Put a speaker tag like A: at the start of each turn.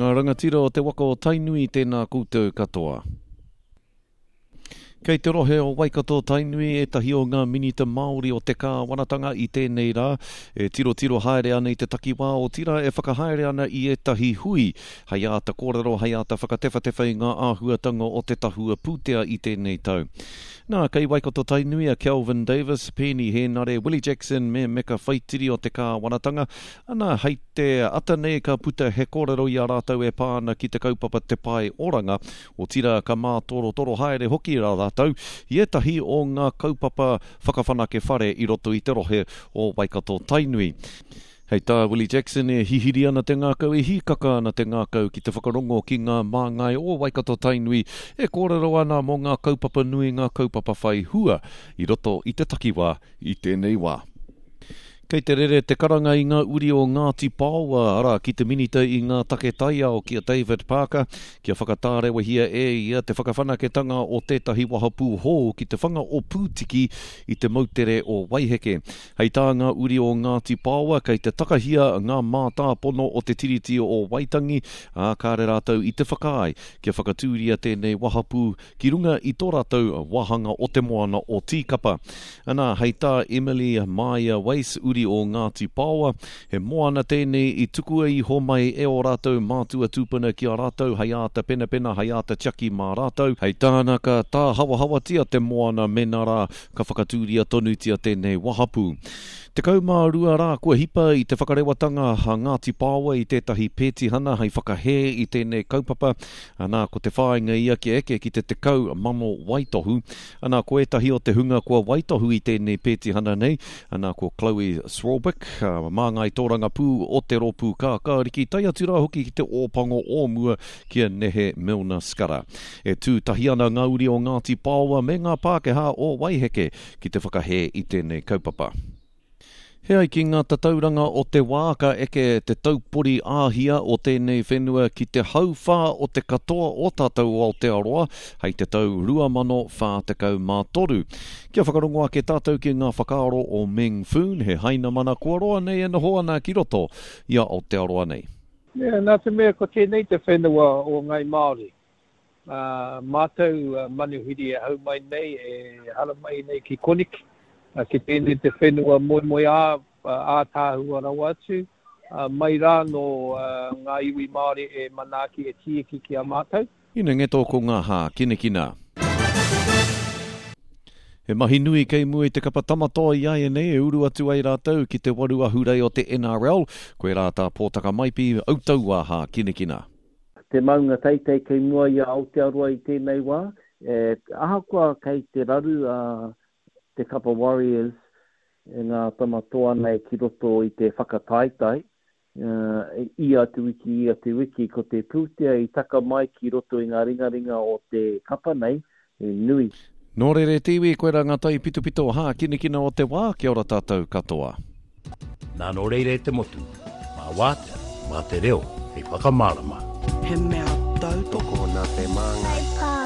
A: Ngā rangatira o te waka o Tainui tēnā koutou katoa. Kei te rohe o Waikato Tainui ētahi o ngā Minita Māori o te kāwanatanga i tēnei rā e tirotiro haere ana i te takiwā otirā e whakahaere ana i ētahi hui hei āta kōrero hei āta whakatewhatewha i ngā āhuatanga o te tahua pūtea i tēnei tau. Nā, kei Waikato Tainui a Kelvin Davis, Peeni Hēnare, Willie Jackson me Meka Whaitiri o te kāwanatanga, Ana, hei te ata nei ka puta he kōrero i a rātou e pā ana ki te kaupapa Te Pae Oranga, otirā ka mātorotoro haere hoki rā rātou i ētahi o ngā kaupapa whakawhanake whare i roto i te rohe o Waikato-Tainui. Hei tā Willie Jackson, e hihiri ana te ngākau, e hīkaka ana te ngākau ki te whakarongo ki ngā māngai o Waikato-Tainui e kōrero ana mō ngā kaupapa nui, ngā kaupapa whai hua i roto i te takiwā i tēnei wā. Kei te rere te karanga i ngā uri o Ngāti Paoa, arā, ki te Minita i ngā Take Taiao, ki a David Parker, kia whakatārewahia e ia te whakawhanaketanga o tētahi wahapū hou ki te whanga o Pūtiki i te moutere o Waiheke. Hei tā ngā uri o Ngāti Paoa, kei te takahia ngā mātāpono o te Tiriti o Waitangi, ā, kāre rātou i te whakaae kia whakatūria tēnei wahapū ki runga i tō rātou wāhanga o te moana o Tīkapa. Anā, hei tā Emily Māia Wace, uri o Ngāti Paoa, he moana tēnei i tukua iho mai e ō rātou mātua tūpuna ki a rātou hei āta penapena, hei āta tiaki mā rātou. Hei tāna ka tāhawahawatia te moana mēnā rā ka whakatūria tonutia tēnei wahapū. 12 rā kua hipa i te whakarewatanga a Ngāti Paoa i tētahi pētihana hei whakahē i tēnei kaupapa, Anā, ko te whāinga ia kia eke ki te 10,000 waitohu. Anā, ko ētahi o te hunga kua waitohu i tēnei pētihana nei, anā, ko Chloe Swarbrick, māngai tōrangapū o te Rōpū Kākāriki, tae atu rā hoki ki te Ōpango o mua ki a Nehe Milner-Skudder. E tū tahi ana ngā uri o Ngāti Paoa me ngā Pākehā o Waiheke ki te whakahē i tēnei kaupapa. He ai ki ngā tatauranga o te wā ka eke te taupori āhia o tēnei whenua ki te hauwhā o te katoa o tātou o Aotearoa hei te tau 2043. Kia whakarongo ake tātou ki ngā whakaaro o Meng Foon, he Hainamana kua roa nei e noho ana ki roto i a Aotearoa nei.
B: Nā te mea ko tēnei te whenua o Ngai Māori, Ā mātou manuhiri e hau mai nei, e haramai nei ki koneki, ki tēnei te whenua moemoeā ātaahua rawa atu, mai rā nō ngā iwi Māori e manaaki, e tīeki ki a mātou.
A: Inengeto ko ngā hākinakina. He mahi nui kei mua i te kapa Tama Toa i āianei e uru atu ai rātou ki te waru ahurei o te NRL. Koirā tā Pōtaka Maipi, Autauā hākinakina.
C: Te maunga teitei kei mua i a Aotearoa i tēnei wā, ahakoa kei te raru a te kapa Warriors e ngā tama toa nei ki roto i te whakataetae, ia te wiki, ia te wiki, ko te pūtea i taka mai ki roto i ngā ringaringa o te kapa nei, he nui.
A: Nō reira e te iwi, koirā ngā taipitopito hākinakina o te wā, kia ora tātou katoa.
D: Nā nō reira e te motu, mā wātea, mā te reo hei whakamārama.
E: He mea tautoko
F: nā te māngai.